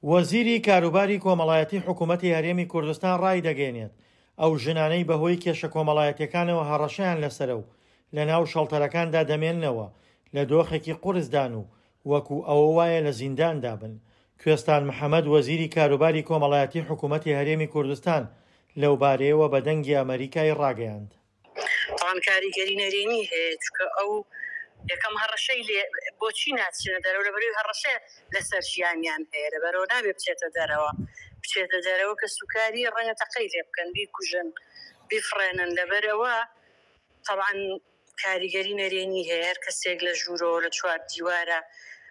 وەزیری کاروباری کۆمەڵایەتی حکوومەتی هەرێمی کوردستان ڕایدەگەیەنێت، ئەو ژنانەی بەهۆی کێشە کۆمەڵایەتییەکانەوە هەڕەشەیان لەسەرە و لەناو شەڵتەرەکاندا دەمێننەوە، لە دۆخێکی قورسدان و وەکو ئەوە وایە لە زینداندا بن. کوێستان محەمەد وەزیری کاروباری کۆمەڵایەتی حکوومەتی هەرێمی کوردستان لەوبارەیەوە بە دەنگی ئەمەریکای ڕاگەیاند. تاوان کاریگەری نەرێنی هەیە چونکە ئەو یەکەم هەڕەشەی لێ بۆچی ناچنە دەرەوە لەبەرەوەی هەڕەشە لەسەر ژیانیان هەیە لەبەرەوە نابێ بچێتە دەرەوە بچێتە دەرەوە کە سوکاری ڕەنگە تەقەی لێ بکەن بیکوژن بیفڕێنن لەبەرەوە تەبعەن کاریگەری نەرێنی هەیە هەر کەسێک لە ژوورەوە لە چوار دیوارە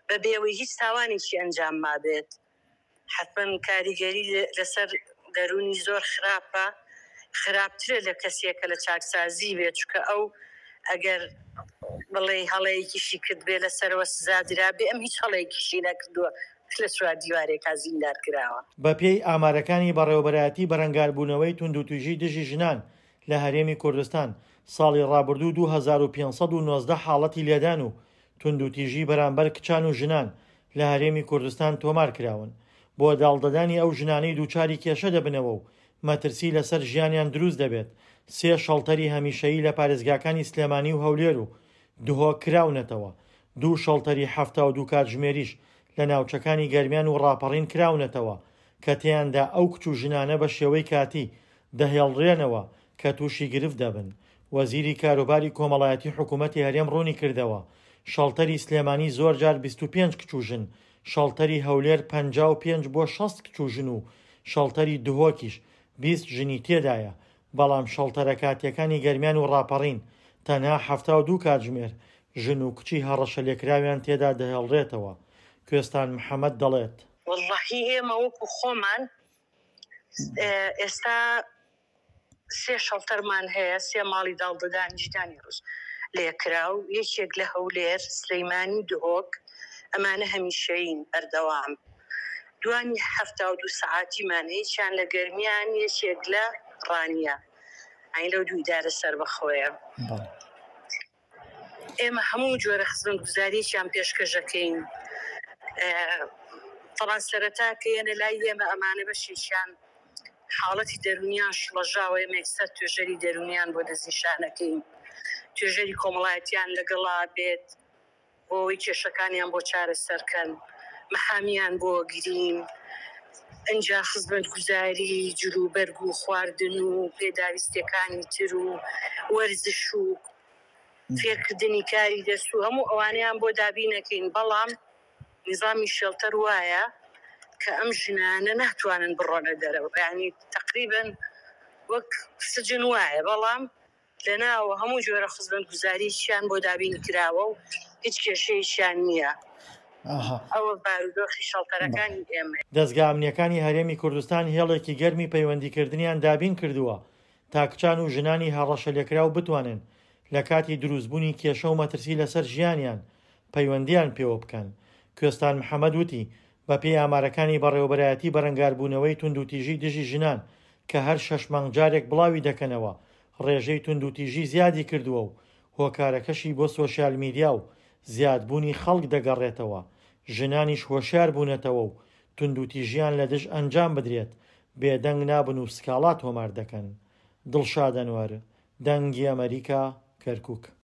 بەبێ ئەوەی هیچ تاوانێکی ئەنجام مابێت حەتمەن کاریگەری لەسەر دەروونی زۆر خراپە، خراپترە لە کەسێک کە لە چاکسازی بێت، چونکە ئەو ئەگەر بڵێی هەڵەیەکیشی کردبێ لەسەرەوە سزا درابێ، ئەم هیچ هەڵەیەکیشی نەکردووە لە چوار دیوارێکا زیندان کراوە. بەپێی ئامارەکانی بەڕێوەبەرایەتی بەرەنگاربوونەوەی توندوتیژی دژی ژنان لە هەرێمی کوردستان، ساڵی ڕابردوو 2519 حاڵەتی لێدان و توندوتیژی بەرامبەر کچان و ژنان لە هەرێمی کوردستان تۆمارکراون، بۆ داڵدەدانی ئەو ژنانەی دووچاری کێشە دەبنەوە و مەترسی لەسەر ژیانیان دروست دەبێت، سێ شەڵتەری هەمیشەیی لە پارێزگاکانی سلێمانی و هەولێر و دهۆک کراونەتەوە، دوو شەڵتەری 72 کاتژمێریش لە ناوچەکانی گەرمیان و ڕاپەڕین کراونەتەوە کە تێیاندا ئەو کچ و ژنانە بە شێوەی کاتی دەهێڵرێنەوە کە تووشی گرفت دەبن. وەزیری کاروباری کۆمەڵایەتی حکوومەتی هەرێم ڕوونیکردەوە، شەڵتەری سلێمانی زۆرجار 25 کچ و ژن، شەڵتەری هەولێر 55 بۆ 60 کچ و ژن و شەڵتەری دهۆکیش 20 ژنی تێدایە، بەڵام شەڵتەرە کاتییەکانی گەرمیان و ڕاپەڕین تەنها 72 کاتژمێر ژن و کچی هەڕەشەلێکراویان تێدا دەهێڵرێتەوە. کوێستان محەمەد دەڵێت. وەڵڵاهی ئێمە وەکو خۆمان ئێستا سێ شەڵتەرمان هەیە، سێ ماڵی داڵدەدانی ژنانی ڕووس لێکراو، یەکێک لە هەولێر، سلیمانی و دهۆک، ئەمانە هەمیشەیین بەردەوام. دوانی 72 سەعاتیمان هەیە، یەکیان لە گەرمیان، یەکێک لە ڕانیە، یانی لەو دوو ئیدارە سەربەخۆیە. ئێمە هەموو جۆرە خزمەتگوزاریەکیان پێشکەشەکەین. تەبعەن سەرەتا کە یەنە لای ئێمە ئەمانە بەشێکیان حاڵەتی دەروونیان شڵەژاوە، ئێمە یەکسەر توێژەری دەروونیان بۆ دەستنیشانەکەین، توێژەری کۆمەڵایەتیان لەگەڵا بێت بۆ ئەوەی کێشەکانیان بۆ چارەسەرکەن، محامیان بۆ گرین، ئینجا خزمەتگوزاری جلوبەرگ و خواردن و پێداویستیەکانی تر و وەرزش و فێرکردنی کاری دەست و هەموو ئەوانەیان بۆ دابینەکەین، بەڵام نیزامی شێڵتەر وایە کە ئەم ژنانە ناتوانن بڕۆنە دەرەوە، یانی تەقریبەن وەک سجن وایە، بەڵام لەناوە هەموو جۆرە خزمەتگوزارییان بۆ دابین کراوە و هیچ کێشەیەکیان نییە. ئەوە بارودۆخی شەڵتەرەکانی ئێمەیە. دەزگا ئەمنییەکانی هەرێمی کوردستان هێڵێکی گەرمی پەیوەندیکردنیان دابین کردووە تا کچان و ژنانی هەڕەشەلێکراو بتوانن لە کاتی دروستبوونی کێشە و مەترسی لەسەر ژیانیان پەیوەندییان پێوە بکەن. کوێستان محەمەد وتی، بەپێی ئامارەکانی بەڕێوەبەرایەتی بەرەنگاربوونەوەی توندوتیژی دژی ژنان کە هەر شەش مانگ جارێک بڵاوی دەکەنەوە، ڕێژەی توندوتیژی زیادی کردووە و هۆکارەکەشی بۆ سۆشیال میدیا و زیادبوونی خەڵک دەگەڕێتەوە، ژنانیش هۆشیار بوونەتەوە و توندوتیژیان لە دژ ئەنجام بدرێت بێدەنگ نابن و سکاڵا تۆمار دەکەن. دڵشاد ئەنوەر، دەنگی ئەمەریکا، کەرکوک.